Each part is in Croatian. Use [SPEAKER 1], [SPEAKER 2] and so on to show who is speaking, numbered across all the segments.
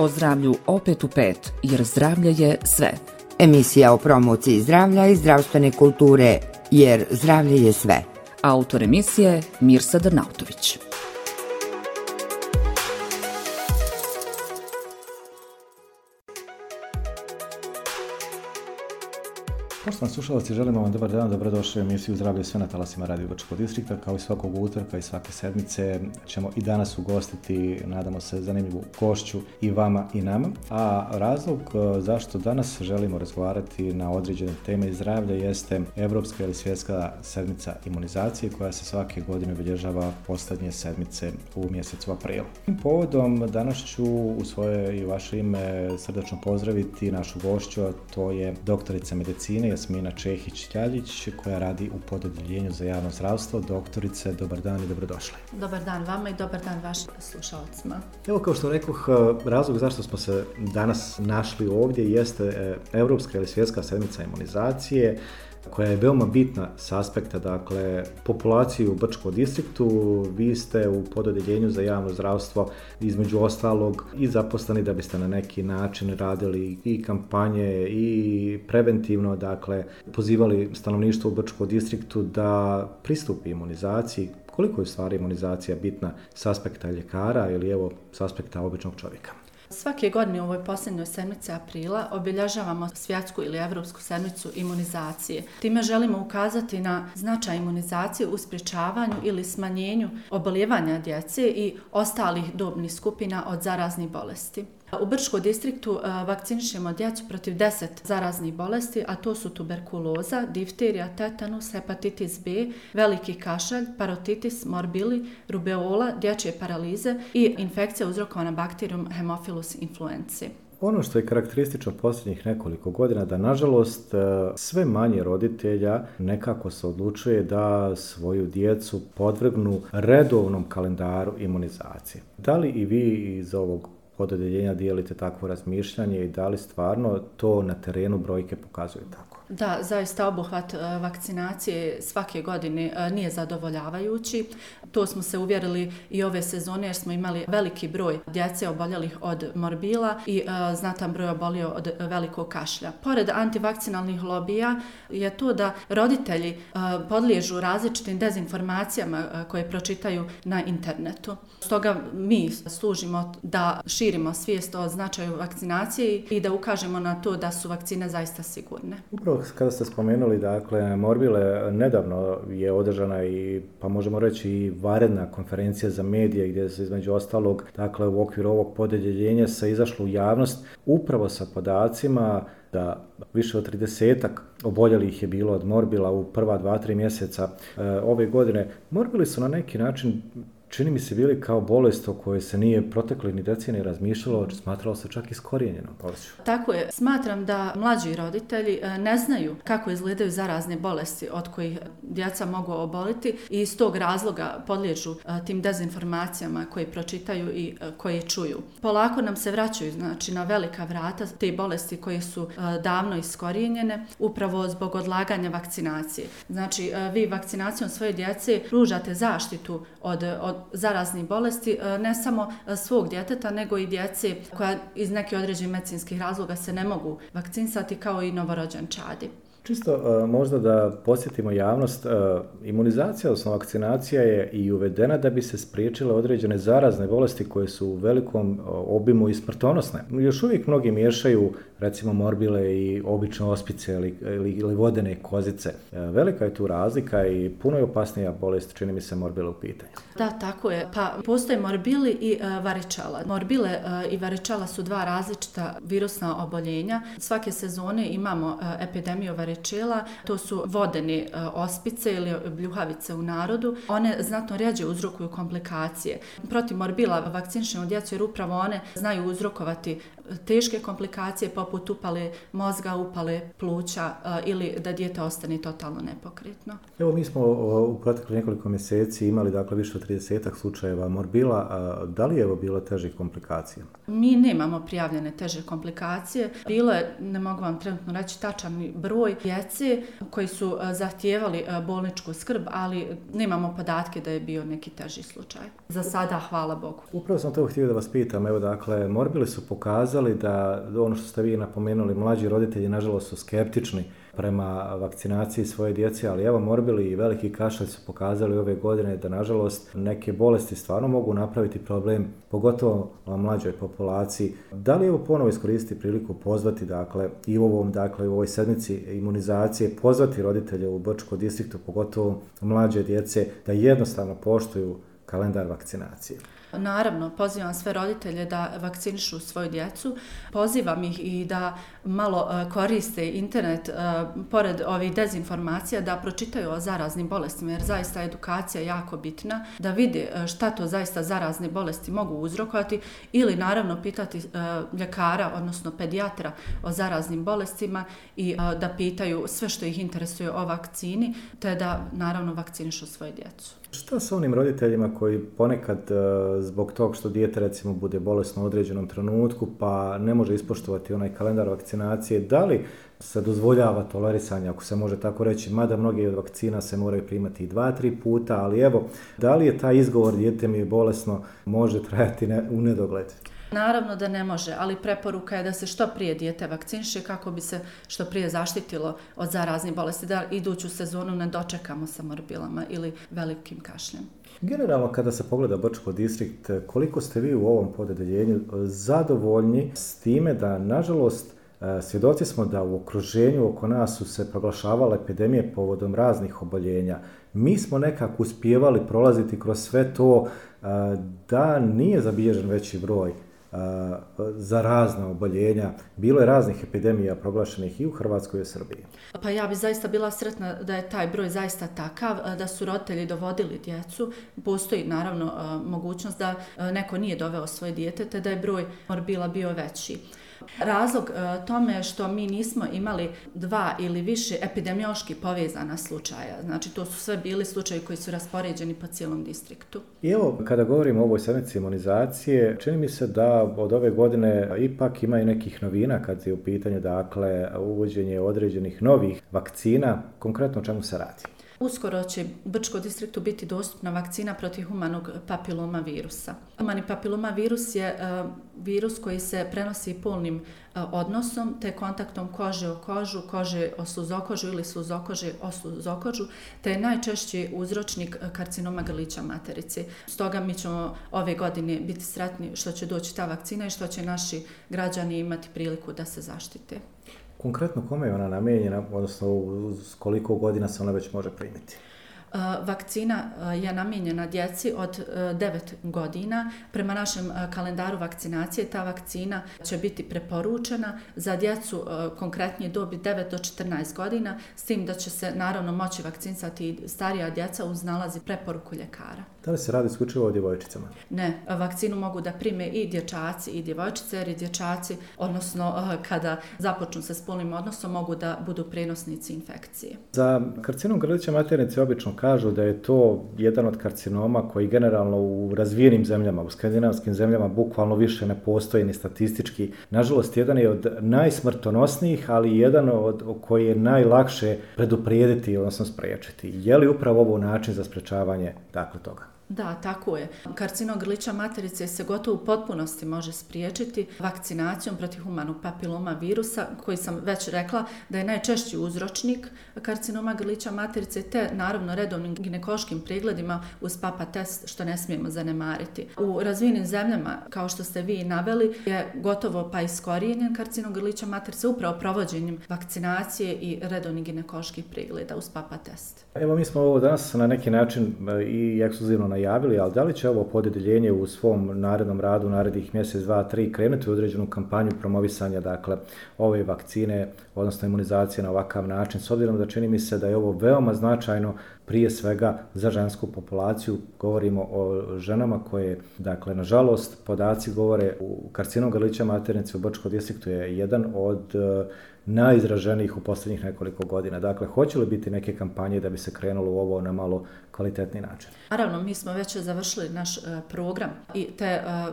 [SPEAKER 1] O zdravlju opet u 5, jer zdravlje je sve.
[SPEAKER 2] Emisija o promociji zdravlja i zdravstvene kulture, jer zdravlje je sve.
[SPEAKER 1] Autor emisije Mirsa Drnautović.
[SPEAKER 3] Poštovani slušalci, želimo vam dobar dan, dobrodošli u emisiju Zdravlje sve na talasima Radio Brčkog distrikta. Kao i svakog utorka i svake sedmice ćemo i danas ugostiti, nadamo se, zanimljivu gošću i vama i nama. A razlog zašto danas želimo razgovarati na određene teme zdravlja jeste Evropska ili svjetska sedmica imunizacije koja se svake godine obilježava posljednje sedmice u mjesecu aprilu. Tim povodom danas ću u svoje i vaše ime srdačno pozdraviti našu gošću, a to je doktorica medicine Jasmina Čehić-Ljaljić koja radi u pododjeljenju za javno zdravstvo. Doktorice, dobar dan i dobrodošli.
[SPEAKER 4] Dobar dan vama i dobar dan vašim slušalcima.
[SPEAKER 3] Evo, kao što rekoh, razlog zašto smo se danas našli ovdje jeste Europska ili svjetska sedmica imunizacije koja je veoma bitna s aspekta, dakle, populacije u Brčkom distriktu. Vi ste u pododjeljenju za javno zdravstvo između ostalog i zaposleni da biste na neki način radili i kampanje i preventivno, dakle, pozivali stanovništvo u Brčkom distriktu da pristupi imunizaciji. Koliko je u stvari imunizacija bitna s aspekta ljekara ili evo s aspekta običnog čovjeka?
[SPEAKER 4] Svake godine u ovoj posljednjoj sedmici aprila obilježavamo svjetsku ili evropsku sedmicu imunizacije. Time želimo ukazati na značaj imunizacije u sprječavanju ili smanjenju obolijevanja djece i ostalih dobnih skupina od zaraznih bolesti. U Brčkom distriktu vakcinišemo djecu protiv 10 zaraznih bolesti, a to su tuberkuloza, difterija, tetanus, hepatitis B, veliki kašalj, parotitis, morbili, rubeola, dječje paralize i infekcija uzrokovana bakterijom Haemophilus influenzae.
[SPEAKER 3] Ono što je karakteristično posljednjih nekoliko godina da, nažalost, sve manje roditelja nekako se odlučuje da svoju djecu podvrgnu redovnom kalendaru imunizacije. Da li i vi iz ovog pododjeljenja dijelite takvo razmišljanje i da li stvarno to na terenu brojke pokazuju tako?
[SPEAKER 4] Da, zaista obuhvat vakcinacije svake godine nije zadovoljavajući. To smo se uvjerili i ove sezone jer smo imali veliki broj djece oboljelih od morbila i znatan broj obolio od velikog kašlja. Pored antivakcinalnih lobija je to da roditelji podliježu različitim dezinformacijama koje pročitaju na internetu. Stoga mi služimo da širimo svijest o značaju vakcinacije i da ukažemo na to da su vakcine zaista sigurne.
[SPEAKER 3] Upravo kada ste spomenuli, dakle, morbile, nedavno je održana i, pa možemo reći, i vanredna konferencija za medije gdje se između ostalog, dakle, u okviru ovog pododjeljenja se izašlo u javnost upravo sa podacima da više od 30-ak oboljelih je bilo od morbila u prva 2-3 mjeseca ove godine. Morbili su na neki način, čini mi se, bili kao bolest o kojoj se nije protekli ni decenije razmišljalo, smatralo se čak iskorijenjenom bolešću.
[SPEAKER 4] Tako je. Smatram da mlađi roditelji ne znaju kako izgledaju zarazne bolesti od kojih djeca mogu oboliti i iz tog razloga podliježu tim dezinformacijama koje pročitaju i koje čuju. Polako nam se vraćaju, znači, na velika vrata te bolesti koje su davno iskorijenjene upravo zbog odlaganja vakcinacije. Znači, vi vakcinacijom svoje djece pružate zaštitu od zaraznih bolesti, ne samo svog djeteta, nego i djece koja iz nekih određenih medicinskih razloga se ne mogu vakcinisati, kao i novorođenčadi.
[SPEAKER 3] Čisto možda da podsjetimo javnost, imunizacija, odnosno vakcinacija je i uvedena da bi se spriječile određene zarazne bolesti koje su u velikom obimu i smrtonosne. Još uvijek mnogi miješaju, recimo, morbile i obične ospice ili vodene kozice. Velika je tu razlika i puno je opasnija bolest, čini mi se, morbile u pitanju.
[SPEAKER 4] Da, tako je. Pa postoje morbili i varičala. Morbile i varičala su dva različita virusna oboljenja. Svake sezone imamo epidemiju varičala. To su vodene ospice ili bljuhavice u narodu. One znatno rjeđe uzrokuju komplikacije. Protiv morbila vakcinišemo djecu jer upravo one znaju uzrokovati teške komplikacije poput upale mozga, upale pluća ili da dijete ostane totalno nepokretno.
[SPEAKER 3] Evo mi smo u proteklih nekoliko mjeseci imali dakle više od 30 slučajeva morbila. Da li je evo bilo težih komplikacija?
[SPEAKER 4] Mi nemamo prijavljene teže komplikacije. Bilo je, ne mogu vam trenutno reći tačan broj djece koji su zahtijevali bolničku skrb, ali nemamo podatke da je bio neki teži slučaj. Za sada, hvala Bogu.
[SPEAKER 3] Upravo sam to htio da vas pitam. Evo dakle, morbili su pokazali da ono što ste vi napomenuli, mlađi roditelji nažalost su skeptični prema vakcinaciji svoje djece, ali evo morbili i veliki kašalj su pokazali ove godine da nažalost neke bolesti stvarno mogu napraviti problem, pogotovo u mlađoj populaciji. Da li evo ponovo iskoristiti priliku pozvati dakle i u ovoj sedmici imunizacije pozvati roditelje u Brčkom distriktu, pogotovo mlađe djece, da jednostavno poštuju kalendar vakcinacije?
[SPEAKER 4] Naravno, pozivam sve roditelje da vakcinišu svoju djecu. Pozivam ih i da malo koriste internet pored ovih dezinformacija, da pročitaju o zaraznim bolestima, jer zaista edukacija je jako bitna, da vide šta to zaista zarazne bolesti mogu uzrokovati ili naravno pitati ljekara, odnosno pedijatra o zaraznim bolestima i da pitaju sve što ih interesuje o vakcini, te da naravno vakcinišu svoju djecu.
[SPEAKER 3] Šta sa onim roditeljima koji ponekad zbog tog što dijete recimo bude bolesno u određenom trenutku pa ne može ispoštovati onaj kalendar vakcinacije, da li se dozvoljava tolerisanje, ako se može tako reći, mada mnogi od vakcina se moraju primati i 2-3 puta, ali evo, da li je taj izgovor dijete mi je bolesno može trajati u nedogled?
[SPEAKER 4] Naravno da ne može, ali preporuka je da se što prije dijete vakciniše kako bi se što prije zaštitilo od zaraznih bolesti, da iduću sezonu ne dočekamo sa morbilama ili velikim kašljem.
[SPEAKER 3] Generalno, kada se pogleda Brčko distrikt, koliko ste vi u ovom podeljenju zadovoljni s time da, nažalost, svjedoci smo da u okruženju oko nas su se proglašavale epidemije povodom raznih oboljenja. Mi smo nekako uspijevali prolaziti kroz sve to da nije zabilježen veći broj za razna oboljenja. Bilo je raznih epidemija proglašenih i u Hrvatskoj i u Srbiji.
[SPEAKER 4] Pa ja bi zaista bila sretna da je taj broj zaista takav, da su roditelji dovodili djecu. Postoji naravno mogućnost da neko nije doveo svoje dijete, te da je broj morbila bio veći. Razlog tome je što mi nismo imali 2 ili više epidemiološki povezana slučaja. Znači, to su sve bili slučaji koji su raspoređeni po cijelom distriktu.
[SPEAKER 3] I evo, kada govorimo o ovoj sedmici imunizacije, čini mi se da od ove godine ipak ima i nekih novina kad je u pitanju, dakle, uvođenje određenih novih vakcina. Konkretno o čemu se radi?
[SPEAKER 4] Uskoro će u Brčkom distriktu biti dostupna vakcina protiv humanog papiloma virusa. Humani papiloma virus je virus koji se prenosi polnim odnosom, te kontaktom kože o kožu, kože o sluzokožu ili sluzokože o sluzokožu, te je najčešći uzročnik karcinoma grlića materice. Stoga mi ćemo ove godine biti sretni što će doći ta vakcina i što će naši građani imati priliku da se zaštite.
[SPEAKER 3] Konkretno kome je ona namijenjena, odnosno s koliko godina se ona već može primiti?
[SPEAKER 4] Vakcina je namijenjena djeci od 9 godina. Prema našem kalendaru vakcinacije ta vakcina će biti preporučena za djecu konkretnije dobi 9 do 14 godina, s tim da će se naravno moći vakcinisati i starija djeca uz nalazi preporuku ljekara.
[SPEAKER 3] Da li se radi isključivo o djevojčicama?
[SPEAKER 4] Ne, vakcinu mogu da prime i dječaci i djevojčice, jer i dječaci, odnosno kada započnu sa spolnim odnosom, mogu da budu prenosnici infekcije.
[SPEAKER 3] Za karcinom grlića materice obično kažu da je to jedan od karcinoma koji generalno u razvijenim zemljama, u skandinavskim zemljama, bukvalno više ne postoji ni statistički. Nažalost, jedan je od najsmrtonosnijih, ali jedan od koji je najlakše preduprijediti, odnosno spriječiti. Je li upravo ovo način za sprečavanje dakle toga?
[SPEAKER 4] Da, tako je. Karcinom grlića materice se gotovo u potpunosti može spriječiti vakcinacijom protiv humanog papiloma virusa, koji sam već rekla da je najčešći uzročnik karcinoma grlića materice, te naravno redovnim ginekološkim pregledima uz papa test, što ne smijemo zanemariti. U razvijenim zemljama, kao što ste vi naveli, je gotovo pa iskorijenjen karcinom grlića materice upravo provođenjem vakcinacije i redovnih ginekoloških pregleda uz papa test.
[SPEAKER 3] Evo, mi smo ovo danas na neki način i ekskluzivno najavili, ali da li će ovo podeljenje u svom narednom radu, narednih mjesec, 2, 3 krenuti u određenu kampanju promovisanja, dakle, ove vakcine, odnosno imunizacije na ovakav način, s obzirom da čini mi se da je ovo veoma značajno prije svega za žensku populaciju. Govorimo o ženama koje, dakle, nažalost, podaci govore u karcinom grlića maternice u Brčkom distriktu je jedan od najizraženijih u posljednjih nekoliko godina. Dakle, hoće li biti neke kampanje da bi se krenulo u ovo na malo kvalitetni način?
[SPEAKER 4] Naravno, mi smo već završili naš program i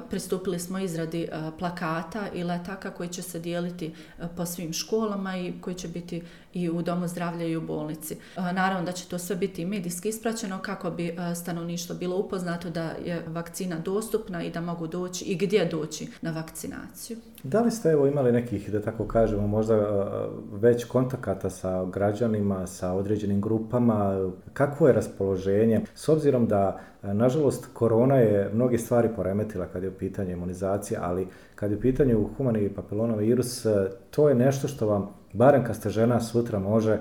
[SPEAKER 4] pristupili smo izradi plakata i letaka koji će se dijeliti po svim školama i koji će biti i u domu zdravlja i u bolnici. Naravno da će to sve biti medijski ispraćeno kako bi stanovništvo bilo upoznato da je vakcina dostupna i da mogu doći i gdje doći na vakcinaciju.
[SPEAKER 3] Da li ste imali nekih, da tako kažemo, možda već kontakata sa građanima, sa određenim grupama? Kakvo je raspoloženje? S obzirom da, nažalost, korona je mnoge stvari poremetila kad je u pitanju imunizacija, ali kad je u pitanju humani papilomavirus, to je nešto što vam, barem kad ste žena, sutra može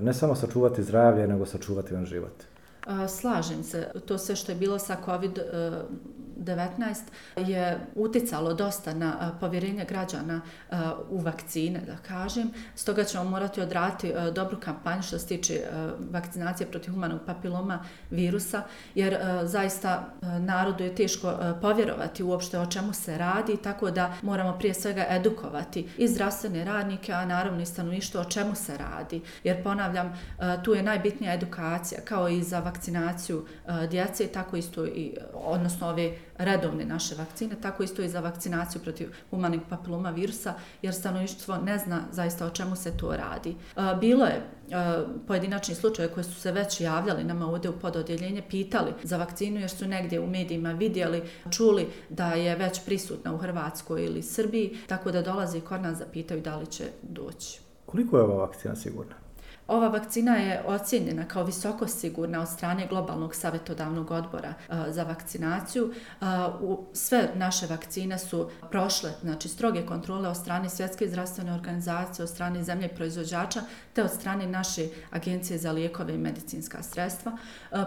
[SPEAKER 3] ne samo sačuvati zdravlje, nego sačuvati vam život.
[SPEAKER 4] Slažem se. To sve što je bilo sa COVID-19 je uticalo dosta na povjerenje građana u vakcine, da kažem. Stoga ćemo morati odraditi dobru kampanju što se tiče vakcinacije protiv humanog papiloma virusa, jer zaista narodu je teško povjerovati uopšte o čemu se radi, tako da moramo prije svega edukovati i zdravstvene radnike, a naravno i stanovništvo o čemu se radi. Jer ponavljam, tu je najbitnija edukacija, kao i za vakcinaciju djece, tako isto i, odnosno ove redovne naše vakcine, tako isto i za vakcinaciju protiv humanog papiloma virusa, jer stanovništvo ne zna zaista o čemu se to radi. Bilo je pojedinačni slučaje koji su se već javljali nama ovdje u pododjeljenje, pitali za vakcinu jer su negdje u medijima vidjeli, čuli da je već prisutna u Hrvatskoj ili Srbiji, tako da dolaze i kod nas da pitaju da li će doći.
[SPEAKER 3] Koliko je ova vakcina sigurna?
[SPEAKER 4] Ova vakcina je ocijenjena kao visoko sigurna od strane Globalnog savjetodavnog odbora za vakcinaciju. Sve naše vakcine su prošle, znači, stroge kontrole od strane Svjetske zdravstvene organizacije, od strane zemlje proizvođača, te od strane naše Agencije za lijekove i medicinska sredstva.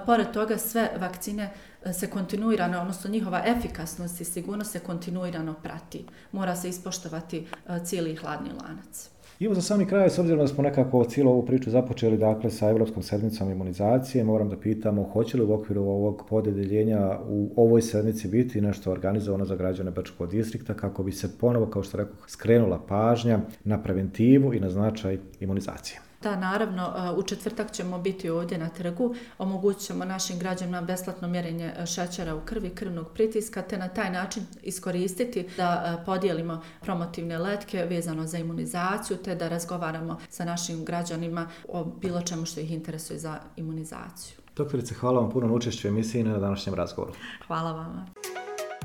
[SPEAKER 4] Pored toga, sve vakcine se kontinuirano, odnosno njihova efikasnost i sigurnost se kontinuirano prati. Mora se ispoštovati cijeli hladni lanac.
[SPEAKER 3] I evo za sami kraj, s obzirom da smo nekako cijelu ovu priču započeli, dakle, sa Europskom sedmicom imunizacije, moram da pitamo hoće li u okviru ovog podeljenja u ovoj sedmici biti nešto organizovano za građane Brčkog distrikta kako bi se ponovo, kao što rekao, skrenula pažnja na preventivu i na značaj imunizacije.
[SPEAKER 4] Da, naravno, u četvrtak ćemo biti ovdje na trgu, omogućit ćemo našim građanima besplatno mjerenje šećera u krvi, krvnog pritiska, te na taj način iskoristiti da podijelimo promotivne letke vezano za imunizaciju, te da razgovaramo sa našim građanima o bilo čemu što ih interesuje za imunizaciju.
[SPEAKER 3] Doktorice, hvala vam puno na učešću u emisiji i na današnjem razgovoru.
[SPEAKER 4] Hvala vama.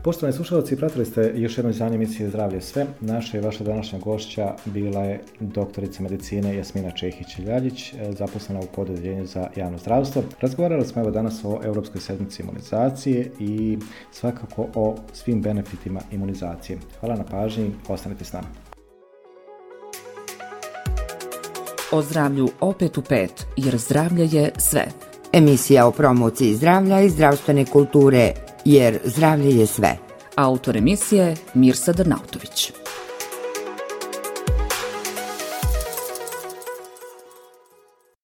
[SPEAKER 3] Poštovani slušalci, pratili ste još jedno izdanje emisije Zdravlje sve. Naša i vaša današnja gošća bila je doktorica medicine Jasmina Čehić-Ljaljić, zaposlena u Podeljenju za javno zdravstvo. Razgovarali smo evo danas o Europskoj sedmici imunizacije i svakako o svim benefitima imunizacije. Hvala na pažnji, ostanite s nama.
[SPEAKER 1] O zdravlju opet u 5, jer zdravlje je sve.
[SPEAKER 2] Emisija o promociji zdravlja i zdravstvene kulture, jer zdravlje je sve.
[SPEAKER 1] Autor emisije Mirsa Drnautović.